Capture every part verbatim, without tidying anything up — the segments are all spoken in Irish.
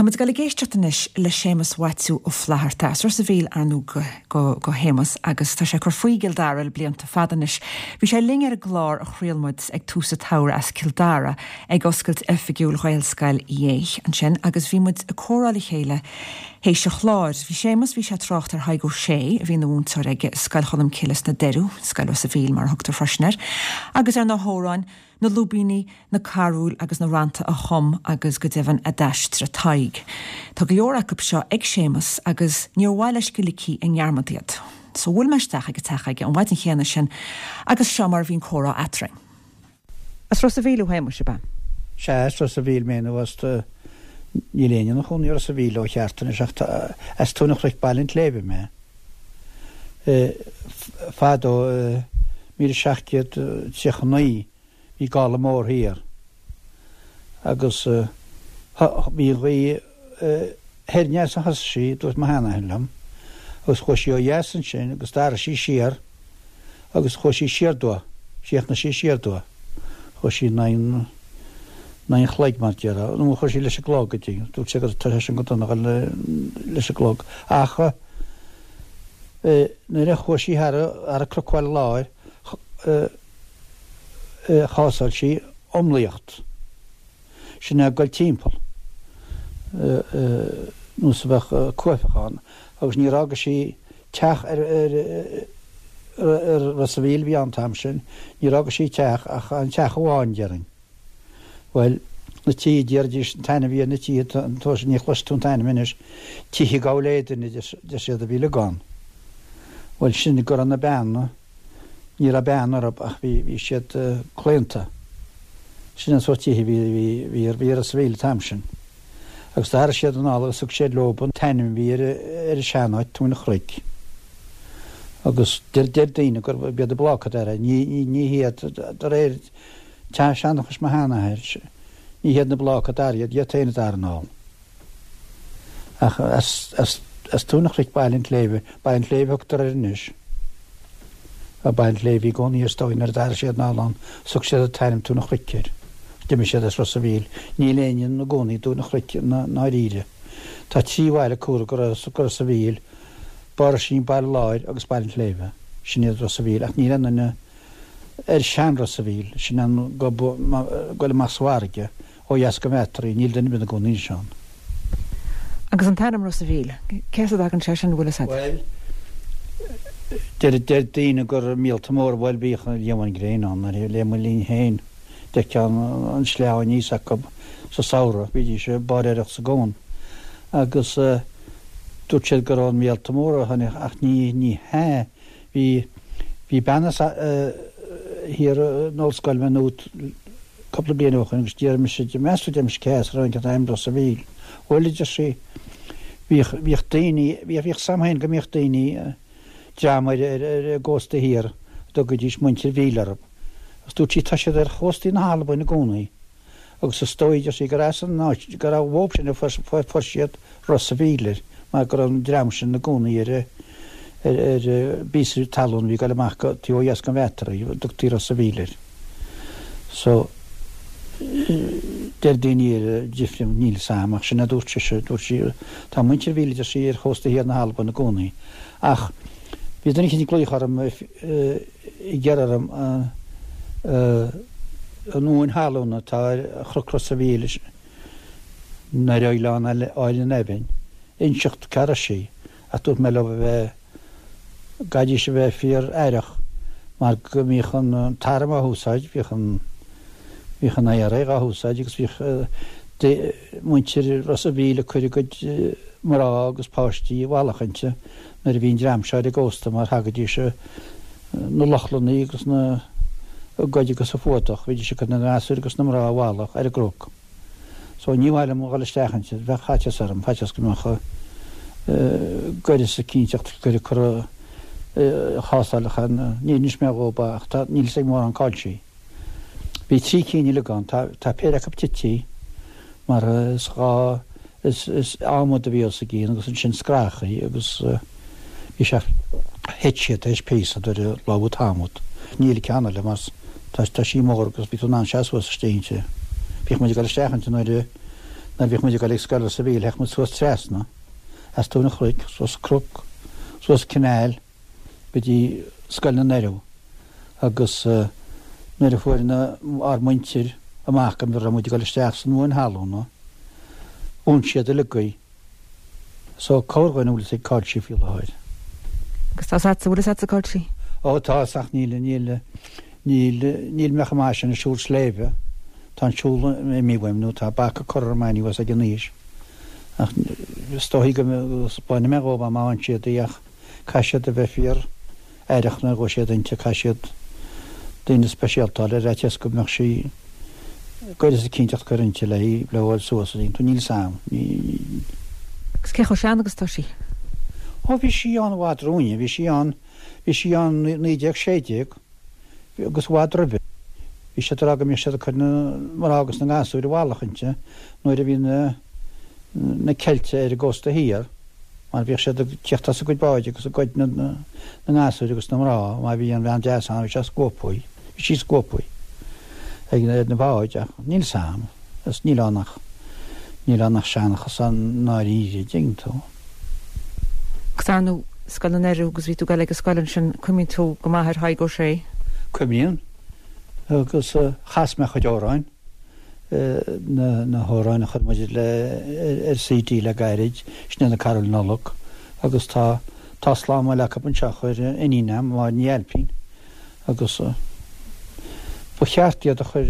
Tá muid ag dul ag éisteacht anois le Séamus Mhaitiú Ó Flatharta as Ros a' Mhíl ar ndóigh go, go, go Shéamus agus tá sé ag cur faoi i gCill Dara le blianta fada anois. Bhí sé linn ar an gclár a chraol muid ag tús an tsamhraidh as Cill Dara ag oscailt oifigiúil Ghaelscoil Uí Aodha ansin agus bhí muid ag comhrá le chéile théis an chláir. Bhí Séamus bhí sé ag trácht ar Thadhg Ó Sé a bhí ina mhúinteoir aige Scoil Cholm Cille sna Doirí, Scoil Ros a' Mhíl mar a thugtar freisin air, agus ar na hamhráin, na lúibíní, na carúil agus na rannta a chum agus go deimhin a d'aistrigh Tadhg. Tá go leor acu seo ag Séamus agus níor mhaith leis go ligfí i ndearmad iad. So bhuail mé isteach ag an teach aige an mhaidin chéanna sin agus seo mar a bhí an comhrá eadrainn. As Ros a' Mhíl thú a Shéamuis ab ea? Sea, as Ros a' Mhíl mé nó as níl éinne ina chónaí i Ros a' Mhíl ó cheart anois ach as Tóin an Chnoic Baile an tSléibhe mé. Fadó míle seacht gcéad tríocha naoi bhí gála mór thiar agus bhí an ghaoth thoir aneas a thosaigh sí, dúirt mo sheanathair liom, agus chuaigh sí ó dheas ansin agus d'athraigh sí siar agus chuaigh sí siar aduaidh, chríochnaigh sí siar aduaidh. Chuaigh sí in aghaidh in aghaidh an chloig mar déarfá, nó chuaigh sí leis an gclog go dtí, dúirt sé go tar éis an go dona leis an gclog. Ach nuair a chuaigh sí thar thar an Cnoc Bhaile Láir chásáil sí iomlaíocht. Sin é ag dul timpeall nós a bheadh cuaifeach ann agus níor fhága sí teach ar ar ar Ros a' Mhíl a bhí ann an t-am sin, níor fhága sí teach ach an teach amháin déarfainn. Bhuel, na tithe déarfaidís an t-ainm a bhí ar na tithe an t-uair sin ní chloisfidh tú an t-ainm anois, tithe Gabhal Éadain a deir siad a bhí uilig ann. Bhuel sin go raibh na beanna, ní raibh bean orthu ach bhí bhí siad claonta. Sin an sórt tithe a bhí bhí bhí bhí ar Ros a' Mhíl an t-am sin. Agus d'athraigh siad anall agus thug siad leo an t-ainm a bhí ar ar an seanáit, Tóin an Chnoic. Agus deir deir daoine gurb iad na Bláca a d'athraigh, ní ní ní hiad de réir seanchais mo sheanathair, ní hiad na Bláca a d'athraigh iad, iad féin a d'athraigh anall. Ach as as as Tóin an Chnoic Baile an tSléibhe, Baile an tSléibhe a thugtar air anois. Baile an Tsléibhe i gcónaí is dóigh nuair a d'athraigh siad anall ann, thug siad an t-ainm Tóin an Chnoic air. D'imigh siad as Ros a' Mhíl. Níl éinne ina gcónaí i dTóin an Chnoic i ndáiríre. Tá trí bhaile cumhra go Ros a' Mhíl, Barr Oisín, Baile Láir agus Baile an tSléibhe. Sin iad Ros a' Mhíl ach níl aon duine ar sean Ros a' Mhíl, sin an gob ag goil amach sa bhfarraige ó dheas go Bheatraí, níl duine ar bith ina gcónaí anois ann. Agus an t-ainm Ros a' Mhíl, cé as a dtagann sé sin, bhfuil fhios agat? Bhuel, deir deir daoine gur míolta móra, bhuel bhíodh an líomhain gréine ann nuair a le mo linn féin, d'fheicfeá an sleá aníos acu sa samhradh, bhídís ag báiréireacht sa gcuan. Agus dúirt siad gur ón míolta móra a tháinig ach ní ní hea, bhí bhí bean as thiar in Ollscoil Maynooth cúpla bliain ó shin agus d'iarr mise di, meas tú deir mise cé as a tháinig an t-ainm Ros a' Mhíl. Bhuel a deir sí, bhíodh bhíodh daoine, bhíodh bhíodh 's a'm féin go mbíodh daoine, dream ar ar ar an gcósta thiar a dtugaidís muintir Mhíl orthu. Agus dúirt sí tá siad ar chóstaí na hAlbain i gcónaí agus is dóigh, deir sí, gur as an áit, gur uathu sin a fuair siad Ros a' Mhíl air mar go raibh an dream sin ina gcónaí ar ar ar bpíosa talún a bhí ag dul amach go taobh ó dheas den Bheatraí, a dtugtaí Ros a' Mhíl air. So, deir daoine eile difriúil, níl 'fhios a'm ach sin a dúirt sise, dúirt sí, tá muintir Mhíl, a deir sí, ar chósta thiar na hAlban i gcónaí. Ach bhí duine eicínt ag glaoch orm ag iarraidh orm an uain thalún atá ar Chnoc Ros a' Mhíl nó ar Oileán Álainn an Eibhinn, inseacht cá raibh sí, ach dúirt mé leo a bheith, gcaithfidís a bheith fíor aireach mar go mbíodh an t-arm á húsáid, bhíodh an, bhíodh an I R A dhá húsáid agus bhíodh muintir Ros a' Mhíl ag cur a gcuid mná agus páistí i bhfalach inti nuair a bhí an dream seo ar an gcósta mar thagaidís na Lochlannaigh agus na ag goid agus ag fuadach, bhídís ag cur na ngasúir agus na mná i bhfalach ar an gcnoc. So ní mhaith liom a dhul isteach inti, bheadh faitíos orm, faitíos go mbeadh goireas eicínteacht gur ag cur chásálacha, níor inis mé dhób ach tá, níl fhios ag mórán cá'il sí. Bhí trí cinn uilig ann, tá, tá péire acu tití mar is dhá, is, is adhmad a bhí os a gcionn agus ansin scrathachaí agus bhí sé, thit siad tar éis píosa nuair a lobhadh an t-adhmad. Níl ceann eile mar tá, tá sí mór agus bhí tú in ann seasamh suas istigh inti. Bhíodh muid ag dul isteach inti nuair a, Nuair a bhíodh muid ag dul ag scoil Ros a' Mhíl théadh muid suas trasna as Tóin an Chnoic, suas cnoc, suas canal go dtí Scoil na nOireamh agus nuair a fuair na, ár muintir amach go raibh muid ag dul isteach san mhóin thalún, dhún siad uilig í. So corrdhuine a bhfuil fhios ag cá'il sí faoi láthair. Agus tá 'fhios a'dsa, bhfuil 'fhios a'dsa cá'il sí? Ó tá 'fhios ach níl, níl, níl, níl mé chomh maith sin ag siúl sléibhe. Tá an siúl imithe uaim nó tá bac curtha orm anuas ag an aois. Ach is dóichí go bainfidh mé dhóibh má fhaigheann siad í ach caithfidh siad a bheith fíor aireach nuair a ghabhfaidh siad inti, caithfidh siad daoine speisialta a fháil ar fhaitíos go mbeadh sí gaireas eicínt a cur inti le í le fháil suas a dtuigeann tú, níl 'fhios a'm. Ní. Agus cé chomh sean agus atá sí? Ó bhí sí ann i bhfad roimhe, bhí sí ann, bhí sí ann naoi déag sé déag agus i bhfad roimhe. Bhí siad ag rá go mbíodh siad ag cur na mná agus na ngasúir i bhfalach inti nuair a bhí na na Ceiltigh ar an gcósta thiar mar bhíodh siad ag tíocht as a gcuid báid agus ag goid na na ngasúir agus na mná má bhí an bhean deas ann bhí sé scuabtha, bhí sí scuabtha ag ar na báid ach níl 'fhios a'm is níl ann ach níl ann ach seanchas i ndáiríre, dtuigeann tú. Agus ar ndóigh Scoil na nOireamh agus bhí tú ag dul ag an scoil ansin, cuimhníonn tú go maith ar Thadhg Ó Sé? Cuimhníonn. Agus chas mé a chuid amhráin, na na hamhráin a chuir muid le ar CD le gairid, sin iad na Carúil Nollag agus tá tá slám eile acu anseo a chuir iníon a'm, Máire Ní Ailpín, agus ba cheart iad a chur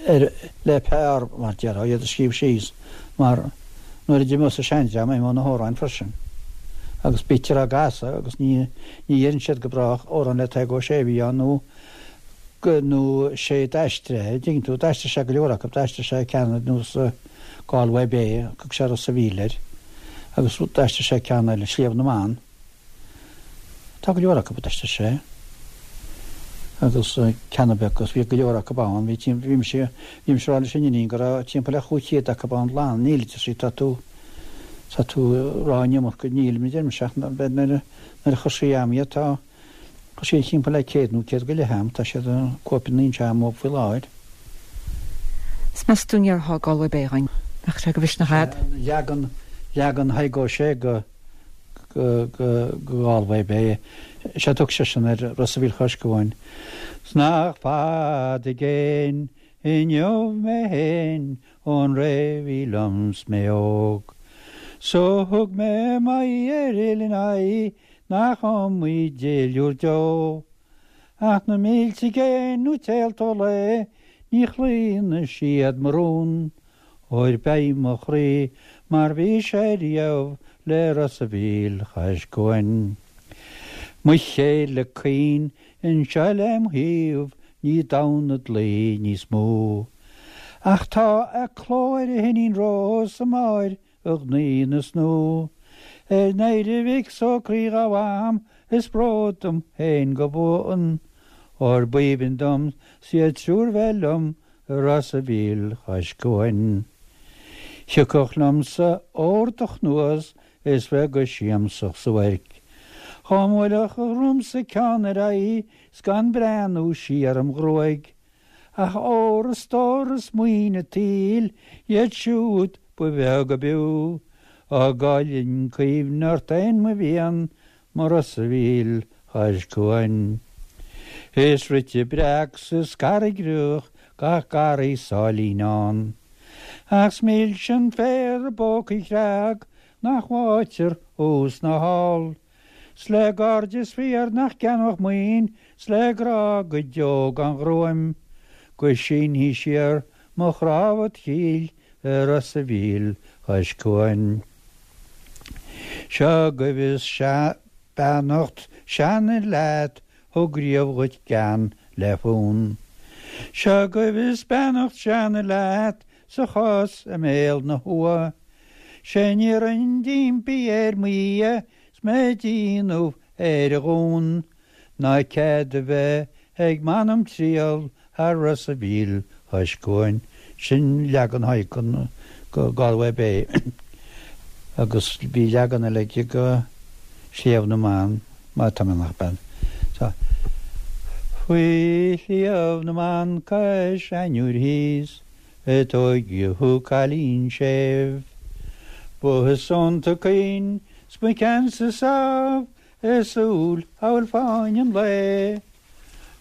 ar le pár mar déarfá, iad a scríobh síos mar nuair a d'imeos an seandream imeoidh na hamhráin freisin. Agus bítear á gcasadh agus ní ní dheireann siad go brách amhrán le Tadhg Ó Sé a bhí ann nó go nó sé d'aistrigh é, dtuigeann tú, d'aistrigh sé go leor acu, d'aistrigh sé ceann ar nós Galway Bay, thug sé Ros a' Mhíl air agus d'aistrigh sé ceann eile, Sliabh na mBan. Tá go leor acu a d'aistrigh sé agus ceanna beag agus bhí go leor acu ann, bhí timp bhí mise bhí mise ag rá leis an iníon go raibh timpeall le chúig chéad acu ann lán, níl a deir sí, tá tú tá tú ag rá an iomarca, níl, a deir mise ach nuair a nuair a chuir sí a'm iad tá chuir sí timpeall le céad nó céad go leith a'm, tá siad cóipeanna anseo a'm faoi láthair. Is meas tú an ndéarfá Galway Bay dhúinn, mbeadh sé de mhisneach a'd? Leagan leagan Thaidhg Ó Sé go go go Galway Bay. Sé a thug seisean ar Ros a' Mhíl Chois Cuain. 'S nach fada i gcéin inniu mé fhéin ón ré bhí liom 's mé óg. So thug mé m'aghaidh ar Oileán Í nach iomaí duilliúr deo. Ach na mílte i gcéin nó téalta ó lae ní chlaonfaidh siad mo rún. Óir beidh mo chroí mar bhí sé riamh le Ros a' Mhíl chois cuain. Mo chéile caoin anseo lem thaobh ní damh na dlaoi níos mó. Ach tá a cló ar a hiníon Rós a Máire a ghnaoi na snó. Ar n-éirí mhic 's ó croí ghabh is bród dom féin go buan. Óir b'aoibhinn dom 's iad triúr bheith liom i Ros a' Mhíl chois cuain. Thiocfadh liomsa ór do chnuas is bheith go siamsach sa bhuairc. Dhá mbuailfeadh a dhromsa ceann ar aghaidh 's gan breathnú siar im ghruaig. Ach ór is stór is maoin an tsaoil iad siúd ba bheag ab fhiú. Á gcaillfinn cuimhne ort fhéin mo mhian mo Ros a' Mhíl chois cuain. Is rite breac 's is carraigreach gach garraí sáilín ann. Ach 's milse an féar i bpócaí chreag nach bhfaightear thuas ná thall. 'S le gairdeas fíor nach gceannódh maoin 's le grá go deo gan ghruaim. Go sínfidh siar mo chnámha id chill i Ros a' Mhíl chois cuain. Seo agaibh is beannacht seanfhir leat thug riamh dhuit gean le fonn. Seo agaibh is beannacht seanfhir leat sa chos i mbéal na hua. Sé an iarrainn d'impí ar mo Dhia 's mé ag déanamh ar a dhún ná cead a bheith ag m'anam triall thar Ros a' Mhíl chois cuain. Sin leagan Thaidhg den go Galway Bay agus bhí leagan eile aige go Sliabh na mBan, má tá mé nach bean. Tá. Faoi Shliabh na mBan cois Ainnir thíos, A tóigeadh thú cailín séimh. Ba soineanta caoin 's mo cheannsa sámh a súil amhail fáinne an lae.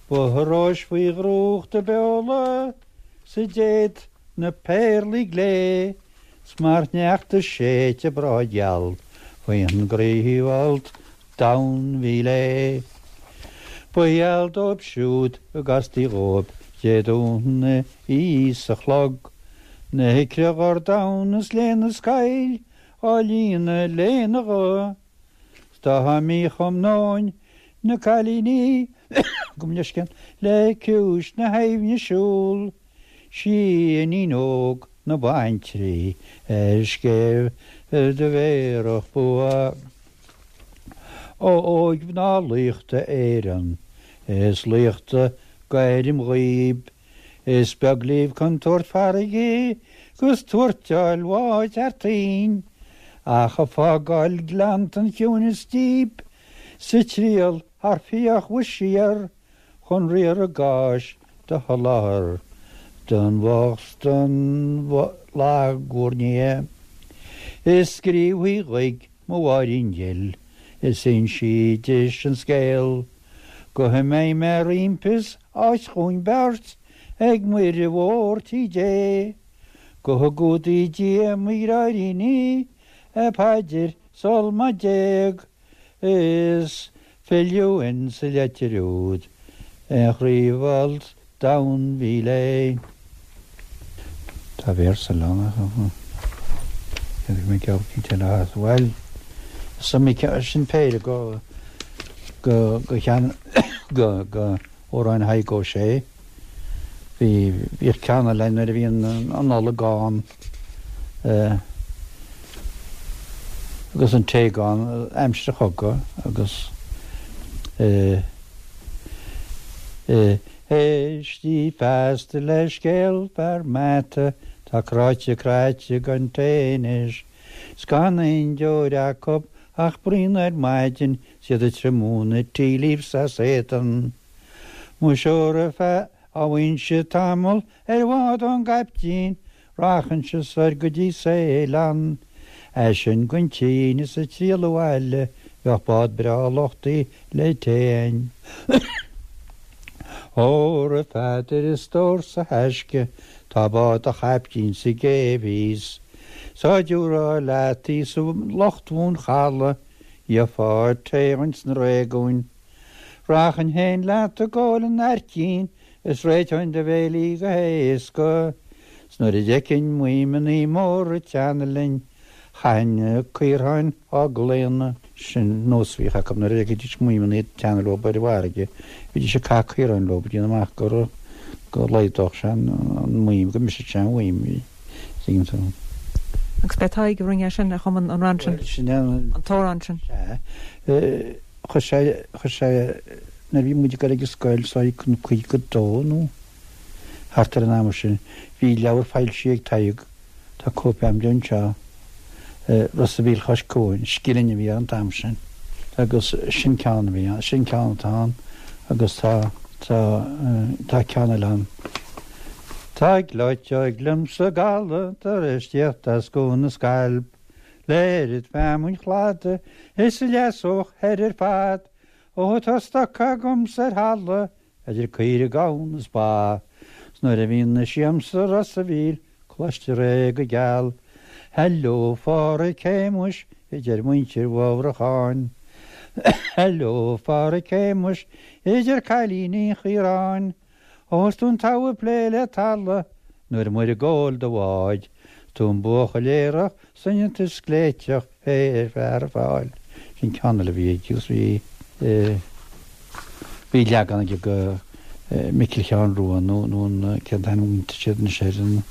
Ba róis faoi dhrúcht a beola 's a déad na péarlaí glé 's mar shneachta séidte breá geal faoin gcroífholt donn bhí léi. Ba gheal dóibh siúd a gcastaí dhóibh Dé Domhnaigh í sa chlog, na hicre dhordáin is lena scaill á líonadh lena ghuth. 'S dá mbíodh um nóin na cailíní gabh mo leithscéal le ciumhais na haibhne siúl, sí iníon óg na baintrí ar scéimh do bhéarfadh bua. Ó óigmhná laochta Éireann is laochta gairm dhaoib, is beag libh contúirt farraige 'gus tuairteáil bháid thar toinn, ach ag fágáil gleanntan chiúineas díb 's ag triall thar fiach bhur siar chun riar a gcáis do sholáthar don bhocht 's don lag bhur ndiaidh. Is scríobhaí dhaigh mo Mháirín dhil is insí dis an scéal go mbeidh mé roimpi 's áit dhúinn beirt ag Muire Mhór Tí Dé, go gcumhdaí Dia mo dhreáiríní a phaidir sul má d'éag is filleadh insa leitir úd an chroífholt donn bhí léi. Tá véarsa eile ann ach mé ceann eile as bhuel sin péire go go go chean go go amhráin Thaidhg Ó Sé. Bhí bhíodh ceann eile nuair a bhí an an Nollaig ann agus an tae ann aimsir an chogaidh agus Éistí feasta le scéal fear Mata tá cráite craite gan tae anois 's gan aon deoir acu ach braon ar maidin 's iad ag triomú na tea leaves as éadan. Muis óra fágfainnse tamall ar bhád ón gcaiptín, rachainnse soir go dtí Ceylon. As sin gon tSín is ag triall abhaile bheadh bád breá luchtaí le tae. Óra Pheadair a stór 's a thaisce tá bád a chaiptín sa gcéibh thíos. 'S á dtiúrfá leat í sa lucht mhún chalaidh gheofá tae ins na réigiúin. Rachainn féin leat ag ól an aircín is réiteoinn do bhéilí go héasca. 'S nuair a d'fheicfinn maidhmeannaí móra ag teannadh linn, chaithfinn na caorthainn á gclaonadh. Sin nós a bhíodh acu nuair a d'fheicfidís maidhmeannaí ag teannadh leo ar an bhfarraige, bhídís ag caitheamh caoráin leo, déanamh amach go go laghdódh sé an maidhm, go mbrisfeadh sé an mhaidhm. Tuigeann tú. Agus b'é Tadhg a rinne é sin, a chum an rann sin, Sin an an t-amhrán sin. Sea. Chuir sé, chuir sé, nuair a bhí muid ag dul ag an scoil, so chun caoga dó nó thart ar an am sin, bhí leabhar foilsithe ag Tadhg, tá cóip agam de anseo, Ros a' Mhíl Chois Cuain, Scilling a bhí ann an t-am sin. Agus sin ceann a bhí ann, sin ceann atá ann agus tá, tá, tá ceann eile ann. Tá gleoiteog liom sa gcaladh tar éis tíocht as Cuan na Scailp, le oiread feamainn chladaigh is a leasódh thoir ar fad, ó tá stoc agamsa ar thalamh idir caoirigh gamhna is ba, 's nuair a bhíonn na siamsa Ros a' Mhíl cloistear é go geal. Hello Pháraic Shéamuis a deir muintir Mhaigh Bhrocháin. Hello Pháraic Shéamuis a deir cailíní an Chaoráin. Ó is tú an togha ag plé le talamh nuair amuigh ag gabháil do bháid, 's tú an buachaill aerach soineanta scléiteach ar fearr a fáil. Sin ceann eile a bhí aige agus bhí bhí leagan aige go Micil Sheáin Rua nó nó an cén t-ainm a bhaint siad anois air an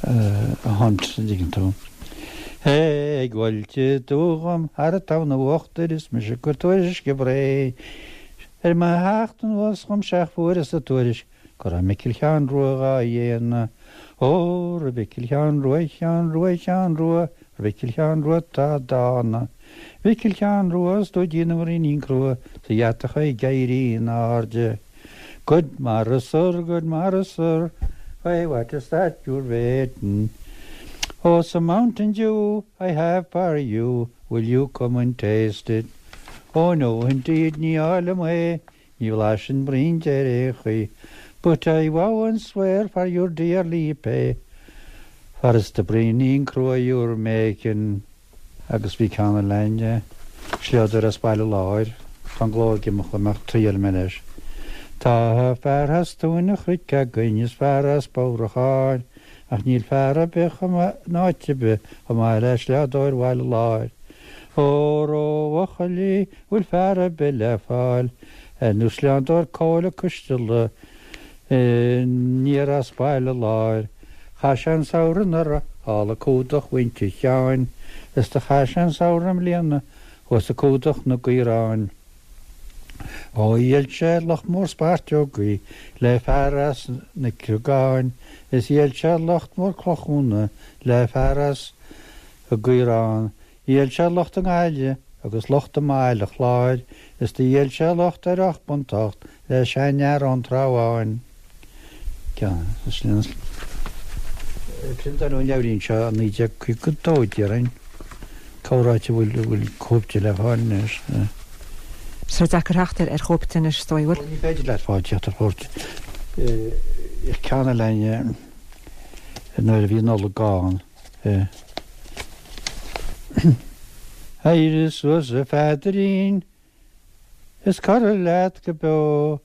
a Hunt an dtuigeann tú. Ag bhailte dúgham thar an tamhan uachtair is mise ag cur tuairisce Bhré. Ar mo theacht anuas dhom seach fuaireas an tuairisc go raibh Micil Sheáin Rua dhá dhéanamh. Ó, a Mhicil Sheáin Rua, Sheáin Rua, Sheáin Rua, a Mhicil Sheáin Rua tá dána. Mhicil Sheáin Rua is tú ag déanamh ruainnín crua sa gheatacha ag éirí in airde. Goid mara soir, goid mara soir, Why, what is that you're waiting? Oh, some Mountain Dew I have for you, will you come and taste it? Oh no, indeed, ní fhólaim é, ní bhlaiseann braon de ar aon chaoi, but I vow and swear for you dearly pay, for it's the braoinín crua you're making. Agus bhí ceann eile againn, sliodóir as Baile Láir, tá an glór ag imeacht liom ach triailfidh mé leis. Tá fear as Tóin an Chnoic againn is fear as Bodhracháin, ach níl fear ar bith chomh maith in áit ar bith chomh maith le sliodóir Bhaile Láir. Ó Ró-Bhuachaillí bhfuil fear ar bith le fáil, nó sliodóir Cóil Ó Coistealla aniar as Baile Láir. Chaith sé an samhradh anuraidh thall ag cumhdach mhuintir Sheáin, is do chaith sé an samhradh i mbliana thuas ag cumhdach na gcaorán. Ó dhíol sé lucht mór speirteogaí le fear as na Criogáin, is dhíol sé lucht mór clochúna le fear as an gCaorán. Dhíol sé lucht i nGaillimh agus lucht i mBaile Chláir, is do dhíol sé lucht ar ocht bpunt ocht le seanfhear ón Trá Bháin. Priontáladh an leabhairín seo i naoi déag caoga a dó, déarfainn. Cá háit a bhfuil bhfuil cóip de le fáil anois? Is deacair theacht ar chóip de anois, is dóigh, bhfuil? Ní féidir leat fáil teacht ar chóip. Ceann eile nuair a bhí Nollaig ann. Éirigh suas a Pheadairín is corraigh leat go beo,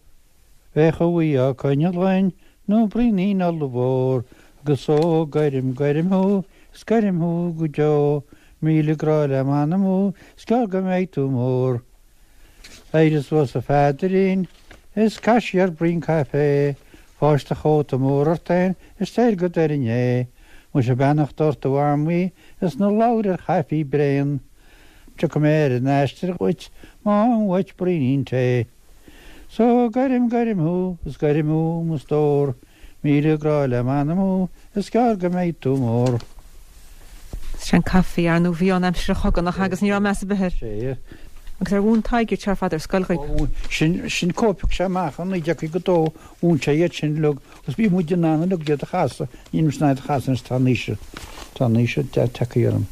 Bheadh a bhuí á coinneal againn nó braoinín ollmhór, Agus ó goirim, goirim thú, is goirim thú go deo, Míle grá le m'anam thú, is gearr go mbeidh tú mór. Éirigh suas a Pheadairín, is caith siar braon caife, Fáisc do chóta mór ort féin is téir go Doire Né. Muise beannacht ort a Mhamaí is ná labhair ar chaife bréan, Tiocfaidh mé ar an aistear dhuit má fhaighim uait braoinín tae. So goirim, goirim thú, is goirim thú, mo stór, Míle grá le m'anam thú, is gearr go mbeidh tú mór. Sin an caife, ar ndóigh, bhí ann aimsir an chogaidh nach agus ní raibh meas ar bith air. Sea. Agus ar mhúin Tadhg iad seo ar fad ar scoil dhaoibh? Ó mhúin. Sin, sin cóip thug sé amach i naoi déag caoga a dó, mhúin sé iad sin uilig agus bhí muid in ann uilig iad a chasadh, nílimse in ann iad a chasadh anois, tá an aois, tá an aois tagtha orm.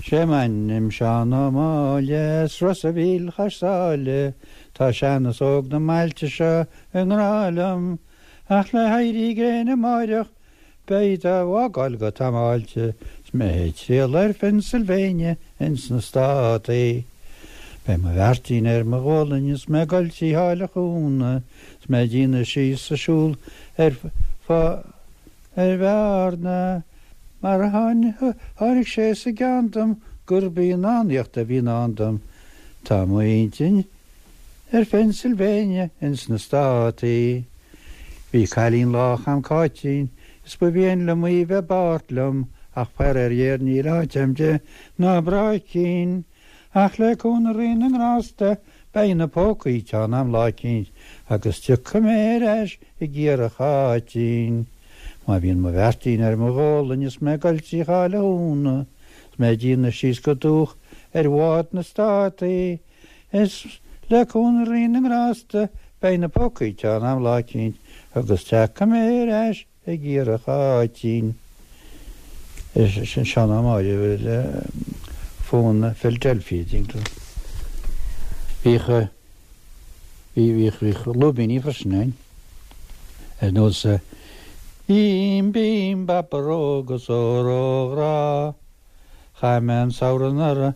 Sé m'ainm Seán Ó Máille, as Ros a' Mhíl chois Sáile, Tá sean is óg na mbailte seo i ngrá liom, Ach le héirí gréine amáireach beidh á bhfágáil go tamáilte, 's mé ag triall ar Phennsylvania ins na Státaí. Beidh mo bheairtín ar mo ghualainn is mé ag goil trí Sháile Chuanna, 's mé ag déanamh síos ag siúl ar fá ar Bhearna, mar tháinig sé sa gceann dom gurb í an fhánaíocht a bhí i ndán dom. Tá m'intinn ar Phennsylvania ins na Státaí. Bhí cailín lách a'm Cáitín is ba mhian liom í bheith i bpáirt liom ach faraor ghéar níl áit a'm di ná bráicín. Ach le cúnamh Rí na nGrásta beidh na pócaí teann a'm lá eicínt agus tiocfaidh mé ar ais ag iarraidh Cháitín. Má bhíonn mo bheairtín ar mo ghualainn is mé ag goil trí Sháile Chuanna 's mé ag déanamh síos go dúch ar bhád na Státaí is le cúnamh Rí na nGrásta beidh na pócaí teann a'm lá eicínt agus tiocfaidh mé ar ais ag iarraidh Cháitín. Sin Seán Ó Máille le fonn Philadelphia, dtuigeann tú. Bhíodh, bhí, bhíodh, bhíodh lúibíní freisin ann. Ar nós Bím, bím, babaró agus óró a ghrá. Chaith mé an samhradh anuraidh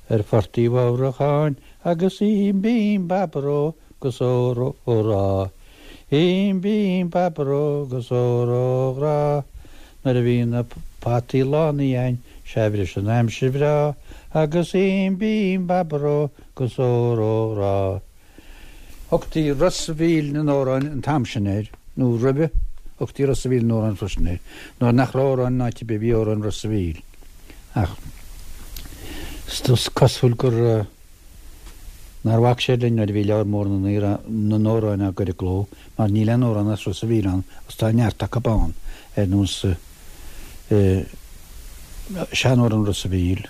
ar Phort Uí Mhórdhacháin agus ím bím babaró agus óró a ghrá. Ím bím babaró agus óró a ghrá. Nuair a bhí na potaí lánaithe a'inn sea bhris an aimsir bhreá agus ím bím babaró agus óró a ghrá. Thugtaí Ros a' Mhíl na n-amhrán an t-am sin air, nó roimhe, thugtaí Ros a' Mhíl na n-amhrán freisin air. Nuair nach raibh amhráin in áit ar bith bhí amhráin Ros a' Mhíl. Ach is cosúil gur nár bhac siad linn nuair a bhí leabhar mór na n-amhrán á gcur i gcló, mar níl aon amhrán as Ros a' Mhíl ann agus tá neart acu ann, ar nós Seanamhrán Ros a' Mhíl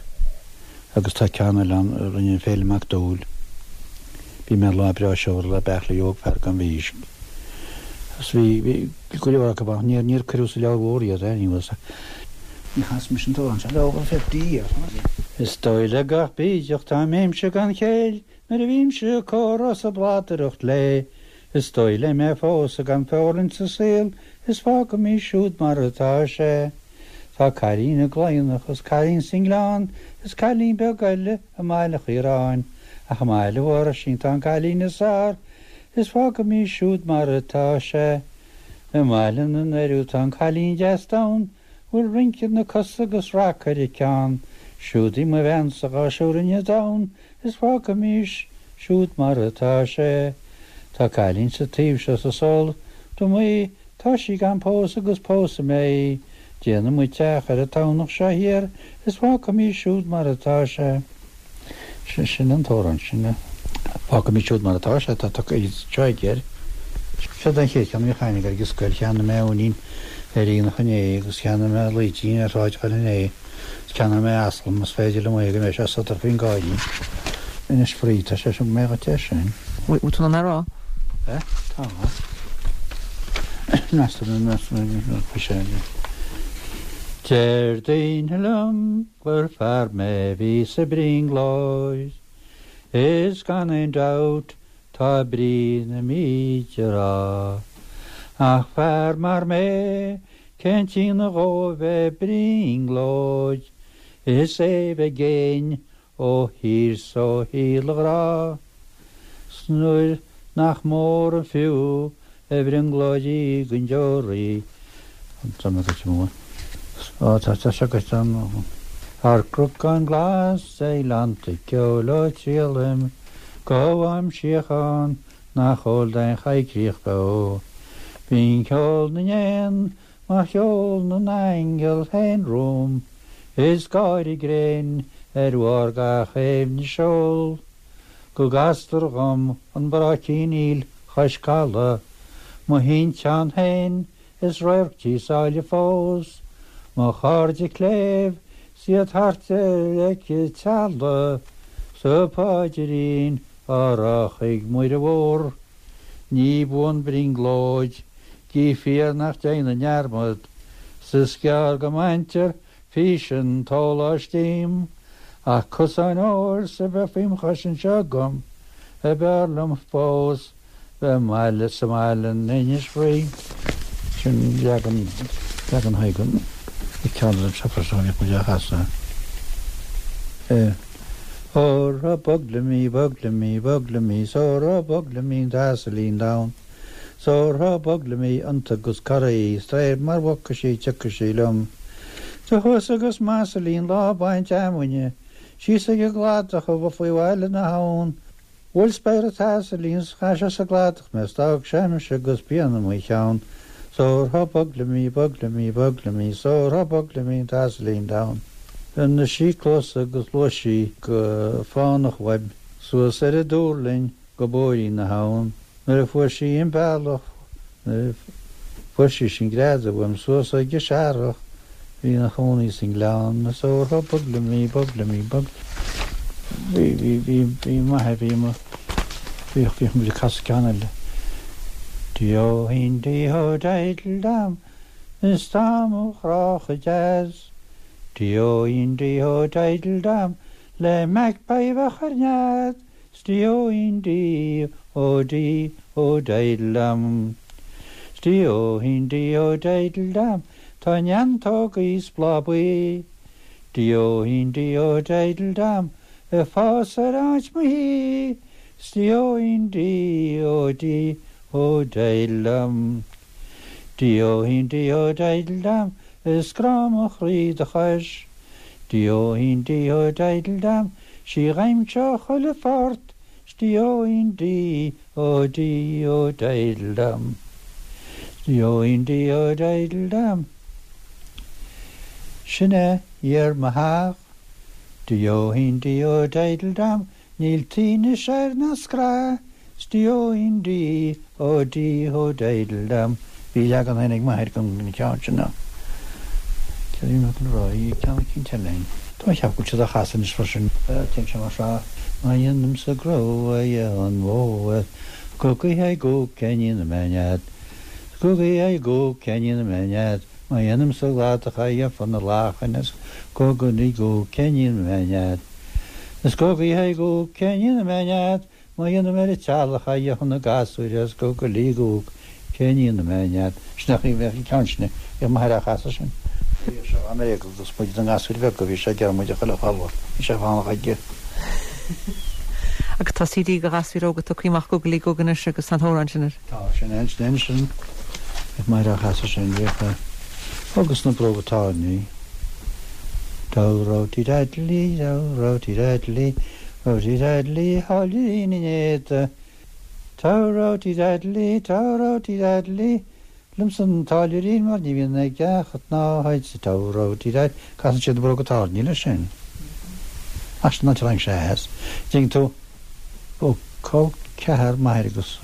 agus tá ceann eile ann a rinne Féilim Mac Dúill. Bhí mé lá breá seomra le beartlaí óg fear gan mhísc. Agus bhí, bhí go leor acu ach níor, níor cuireadh sa leabhar mhór iad, eh, ní bhfuil Ní chas mise an t-amhrán seo le over fifty years. Is dóigh le gach bídeach dá mbeinnse gan chéill nuair a bhímse ag comhrá 's ag bladaireacht léi. Is dóigh léi mé a phósadh gan feorainn sa saol is fágfaimís siúd mar atá sé. Tá cailín i gCloigheannach is cailín sa nGleann is cailín beag eile i mBaile Chiaráin, ach i mBaile Mhuirisín tá an cailín is fearr is fágfaimís siúd mar atá sé. I mBaile na nDoiriú tá an cailín deas donn, bhfuil rince na cosa agus rac ar a ceann, siúd í mo bheansa dhá siúrinne donn is fágfaimís siúd mar atá sé. Tá cailín sa taobh seo sa sol dom í tá sí gan pósadh agus pósfaidh mé í, déanfaidh muid teach ar an tamhnach seo thiar is fágfaimís siúd mar atá sé. Sin sin an t-amhrán sin. Fágfaimís siúd mar atá sé tá seo aige. Seo den chéad cheann a bhí cheana ag an scoil cheannaigh mé uainín ar aonach inné agus cheannaigh mé léitín ar Shráid Choill inné. Cheannaigh mé asal más féidir liom é go mbeidh sé sodar faoin gcáirín. Inis Fraoigh tá sé sin mé go te sin. Bhfuil tú in ann rá? Eh? Tá. Meastar sé. Deir daoine liom gur fear mé bhí sa brionglóid, Is gan aon dabht tá brí na mbíd á rá. Ach fear mar mé cén t-ionadh dhó bheith brionglóid, Is é bheith i gcéin ó thír 's ó shíol a ghrá. 'S nuair nach mór an fiú a bhrionglóidí don deoraí. Tá mé go mór. Ó tá tá sé go an Ar gcnocán glas ag gleannta ceoil ó triallaim, Gabhaim síocháin nach eol d'aon choigríoch beo. Bíonn ceol na n-éan mar cheol na n-aingeal féin romham, Is gáire gréin ar bharr gach aibhne seol. Go gcastar dhom an bráicín aoil chois caladh, Mo thinteán féin is radharc tí sáile fós, Mo chairde cléibh 's iad thart ar leic an teallaigh, Sa pháidrín á rá chuig Muire Mhór. Ní buan brionglóid, gí fíor nach déanann dearmad, 's is gearr go mbaintear fís an tsóláis díom, ach cosán óir 's a bheith faoim chois anseo agam, a b'fhearr liom fós bheith mbaile sa mbaile in Inis Fraoigh. Sin leagan leagan hagan ceann an seafar seo bhí chuid a chasadh. Óra bog liom í, bog liom í, bog liom í, sóra bog liom í an t-asailín donn. Sórtha bog liom í iontu agus corraí, stréir mar bhogfaidh sí tiocfaidh sí liom. Do chuas agus m'asailín lá baint fheamainne, síos ag an gcladach a bheith faoi bhaile na habhann. Bhuail spéir an t-asailín 's chaith sé sa gcladach mé 's d'fhág sé mise agus pian i mo cheann. Sórtha bog liom í, bog liom í, bog liom í, sórtha bog liom í an t-asailín donn. Rinne sí cluas agus ghluais sí go fánach uaim, suas ar an dúrlinn go bóirín na habhann. Nuair a fuair sí an bealach, nuair a fuair sí sin greadadh uaim suas ag an searrach, bhí ina chónaí sa ngleann, sórtha bog liom í, bog liom í, bog. Bhí bhí bhí bhí maith bhí mo bhíodh bhíodh muid ag casadh ceann eile. Dí-ó-hín dí-ó diddle dam, is tá mo chrá chomh deas. Dí-ó-hín dí-ó diddle dam, le magpie bheadh ar nead. 'S dí-ó-hín dí-ó dí-ó diddle dam. 'S dí-ó-hín dí-ó diddle dam, tá neantógaí 's bláth buí. Dí-ó-hín dí-ó diddle dam, ag fás ar áit mo thí. 'S dí-ó-hín dí-ó dí-ó diddle dam. Dí-ó-hín dí-ó diddle dam, is grá mo chroí do chois. Dí-ó-hín dí-ó diddle dam, sí ghaimseo chuile phort. 'S dí-ó-hín dí-ó dí-ó diddle dam. 'S dí-ó-hín dí-ó diddle dam. Sin é iar mo theach. Dí-ó-hín dí-ó diddle dam, níl tinneas air ná scraith. 'S dí-ó-hín dí-ó dí-ó diddle dam. Bhí leagan féin ag m'athair den cheann sin. Cé mé an rá ceann cinn eile. Tá cheap go siad a chasan is freisin téann sé mar seo má dhéanaimse gnó a an mhó go gcuithe go cenín na menead. Gogaí go cenín mead, má dhéanaim sa gcladach fan na lachan is gogaí go cenín mead. Is gogaí go cenín mead, má dhéanaim ar teallach chun na gasúir is go go lí go cenín mead. Sin í bheith ceann sin i m'athair á chasadh sin. Bhí sé América agus muid an gasúir bheag go bhí sé ag muid a chuile chalmhar. Bhí sé fánach aige. Agus tá CD go gasúir óga tugtha amach gogaí go anois agus an t-amhrán sin air. Tá sin en sin sin ag m'athair á chasadh sin bhíodh agus na bróga tairní. Dá tí dá tí dá tí dá hálín éta. Tá tí tá tí Liom san táilliúirín mar ní bhíonn ag ceacht ná haid sa tá tí casann siad bróga tairní leis sin. Ach sin an tarraing sé as. Ding tú ó col ceathair m'athair agus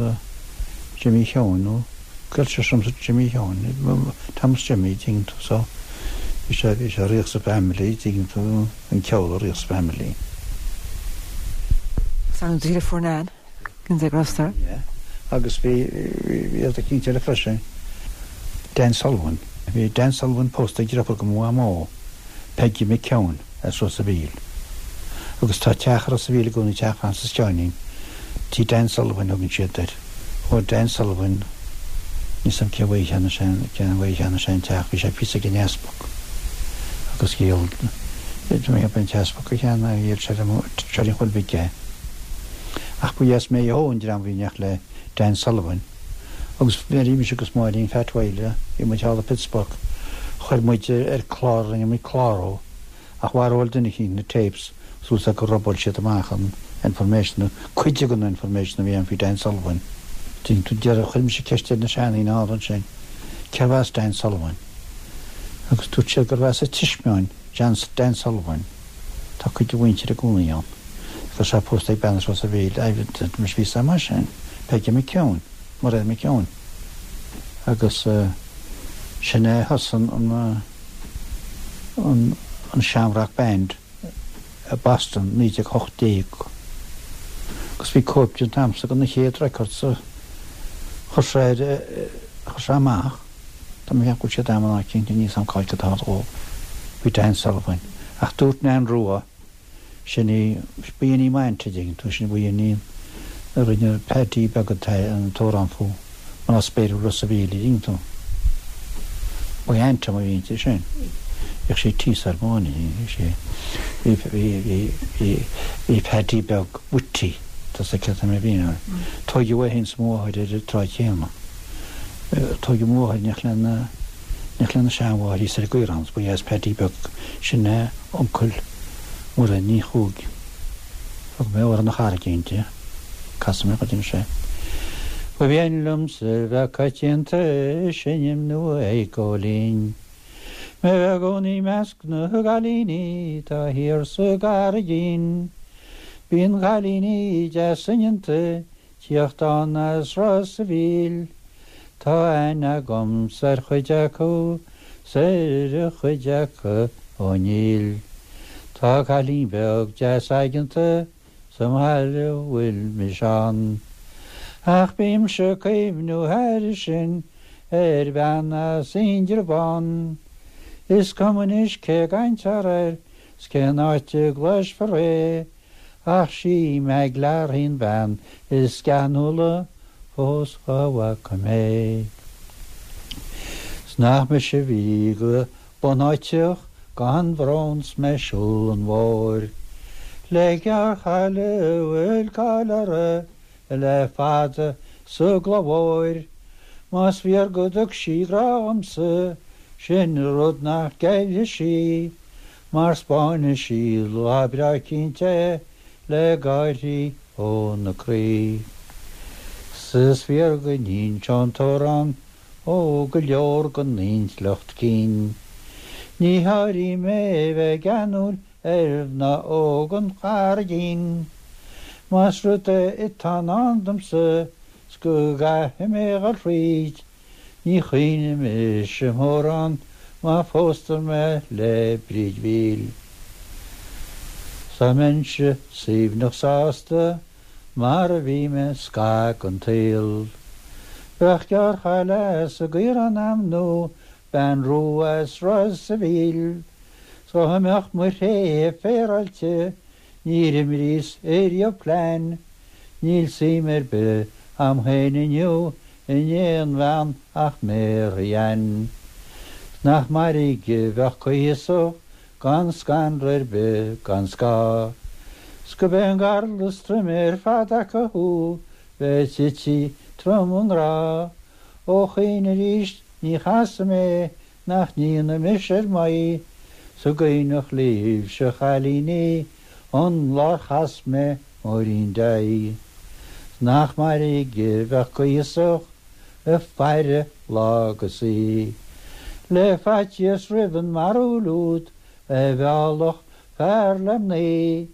Jimmy Sheáin nó Cuilte sem Jimmy Sheáin Thomas Jimmy ding tú so bhí sé bhí sé ríoch sa family ding tú an ceol ríoch sa family. San díle fornán gin sé grostar. Yeah. Agus bhí bhí a cinnte le freisin. Dan Sullivan. Bhí Dan Sullivan pósta ag deirfiúr go Mhamó, Peggy McKeown as Ros a' Mhíl. Agus tá teach Ros a' Mhíl i gcónaí teach Francis Sheáinín. Tí Dan Sullivan thugann siad air. Ó Dan Sullivan níos am cé bhuiie sin cé bhuiie sin teach bhí sé píosa ag an easpag. Agus dhíol mé an t-easpag a cheanna dhíol sé sé chuil bhig é. Ach bu dheas mé ó an dream bhí neach le Dan Sullivan. Agus bhí mise agus Máirín Phat Whale i muid thall i Pittsburgh. Chuir muid ar chlár rinne muid cláró ach mharóil duine cinn na tapes suas go robáil siad amach an information cuid den information a bhí an faoi Dan Sullivan. Ding tú deireadh chuir mise ceist ar na seandaoine ann sin. Cérbh as Dan Sullivan. Agus dúirt siad gurbh as an Tismeáin Dan Sullivan. Tá cuid de mhuintir i gcónaí ann. Agus sé pósta ag bean as Ros a' Mhíl mis bhí mar sin, Peggy McKeown, Mairéad McKeown. Agus sin é thosaigh an an an Shamrock Band i Boston naoi déag hocht déag. Agus bhí cóip den t-am san na chéad record sa chuir sé chuir sé amach Tá mé go siad am ná cinnte níos an cáilte tá ó bhí Dan Sullivan. Ach dúirt Nan Rua sin í bíon í mainte ding tú sin bíon í a rinne Paddy beag an t-amhrán fú man spéir Ros a' Mhíl ding tú. Ba ante mar bhíonn sin. Bhíodh sé tíos ar báine sé bhí Paddy beag witty tá sa ce mé bhí Tógadh é féin is mo mháthair ar an tráth céanna. Tógadh mo mháthair neach lena neach lena seanmháthair í ar Gaorán, ba dheas Paddy beag sin é uncail Muireann Ní Chuaig. Thug mé ar na charraigínte, Cas mé go sé. Ba mhian liomsa bheith coitianta seinm nó ag góilín. Me bheith gcónaí measc na gcailíní tá thiar sa gCarraigín. Bíonn cailíní deasa tíocht an as Ros a' Mhíl, Tá aithne agam ar chuid acu 's ar chuid acu ó níl. Tá cailín beag deas aigeanta sa mbaile bhfuil mise ann. Ach bímse cuimhniú thar sin ar bhean as Indreabhán. Is cuma anois cé gcaintear air 's cén áit a gcloisfear é, ach sí Meg Larry an bhean is geanúla fós dá bhfaca mé. 'S nach mise bhí go bunáiteach gan bhrón 's mé siúl an bhóthair. Le gearrchaile a bhfuil cáil uirthi le fada sa gCloich Mhóir, Más fíor go dtug sí grá dhomsa, sin rud nach gceilfidh sí, mar 'spáinfidh sí lá breá cinnte le gáirí óna croí. 'S is fíor go n-inseodh an t-amhrán ó go leor den intleacht cinn. Ní háirím mé bheith geanúil ar mhná óga an Charraigín. Más rud é atá i ndán domsa 's go gcaithfidh mé dhul thríd, ní chaoinfidh mise mórán má phóstar mé le Bríd Mhíl. Dá mbeinnse suaimhneach sásta mar a bhí mé scaitheamh den tsaol. Bheadh gearrchaile as an gCaorán a'm nó bean rua as Ros a' Mhíl. 'S dá mbeadh mo thréithe féaráilte níor imríos ariamh plean. Níl suim ar bith a'm féin inniu in aon bhean ach Mary Ann. 'S nach mairg a bheadh cuíosach gan scanradh ar bith gan scáth. 'S gurb é an gal is troime ar fad acu thú bheith tite trom i ngrá. Ó choíche arís ní chasfaidh mé nach n-ionadh mise ar m'aghaidh. 'S an gcuimhneach libhse a chailíní an lá ar chas mé Máirín Day. 'S nach mairg a bheadh cuíosach ag faire lá agus oíche. Le faitíos roimh an mbarúil úd a mheallfadh fear le mnaoi.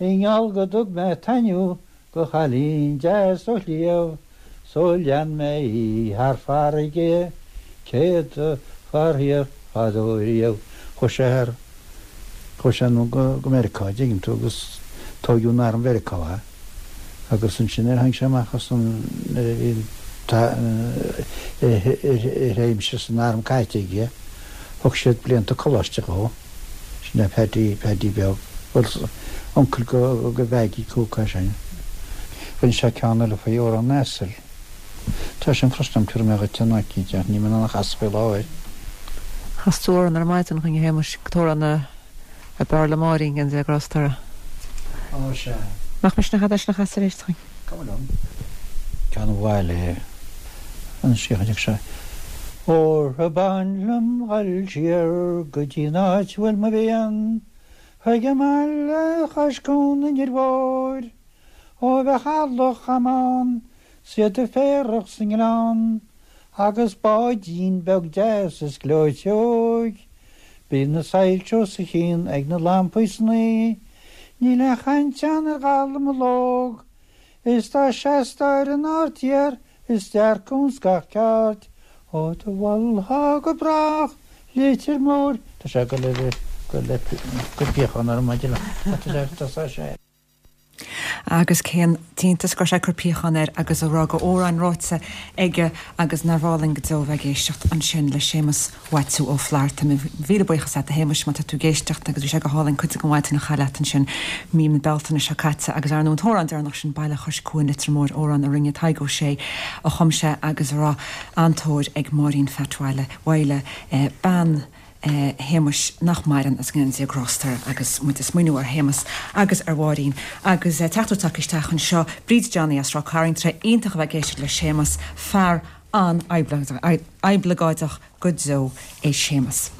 I ngeall go dtug mé taitneamh go chailín deas ó shliabh, 's ó lean mé í thar farraige céadta faraor fadó riamh. Chuaigh sé thar, chuaigh sé anonn go go Meiriceá, dtuigeann tú, agus tóigeadh in arm Mheiriceá é. Agus ansin nuair a tháinig sé amach as an, nuair a bhí an a thréimhse san arm caite aige, thug siad blianta coláiste dhó. Sin é Paddy, Paddy beag. Bhuel, uncail go go Mhaggie Cooke é sin. Rinne sé ceann eile faoi Órán an Asail. Tá sin freisin tabharfaidh mé dhuit an áit ach níl mé in ann a chasadh faoi láthair. Chas tú amhrán ar maidin chugainn a Shéamais, an t-amhrán a a b'fhearr le Máirín, go ndéana Dia grásta uirthi. Ó sea. Nach misneach é sin a chasadh arís chugainn? Cuma liom. Ceann an bhaile an scéal sé. Óra b'áin liom dhul siar go dtí an áit bhfuil mo mhian, Chuig an mbaile chois cuan an Inbhir Mhóir, Ó bheadh eallach a'm ann 's iad ag féarach sa ngleann, Agus báidín beag deas is gleoite óg, Bíonn na soilse os a chionn ag na lampaí san oíche, Níl aon chaint ann ar dhallamullóg, Is dá seastá ar an aird thiar is dearcadh ins gach ceard, Ó do mholfá go brách Leitir Móir. Tá sé go le go le go piachán ar an maidin tá sé. Agus cén t-iontas go raibh sé ag cur piachán air agus a rá go amhráin ráite aige agus nár álainn go deo bheith ag éisteacht ansin le Séamus Mhaitiú Ó Flatharta. Míle buíochas leat a Shéamais má tá tú ag éisteacht agus bhí sé go hálainn cuid den mhaidin a chaitheamh leat ansin mí na Bealtaine seo caite agus ar an t-amhrán deireanach sin Baile Chois Cuain Leitir Móir amhrán a rinne Tadhg Ó Sé a chum sé agus a raibh an-tóir ag Máirín Phat Mhaidhle Mhaidhle eh, bean eh, Shéamais nach maireann as go ndéana Dia grásta air agus muid ag smaoineamh ar Shéamus agus ar Mháirín agus eh, teachtaireacht tagtha isteach anseo Bríd Johnny as Ráth Cairn tre iontach a bheith ag éisteacht le Séamus fear an-oibleagáideach go deo é Séamus.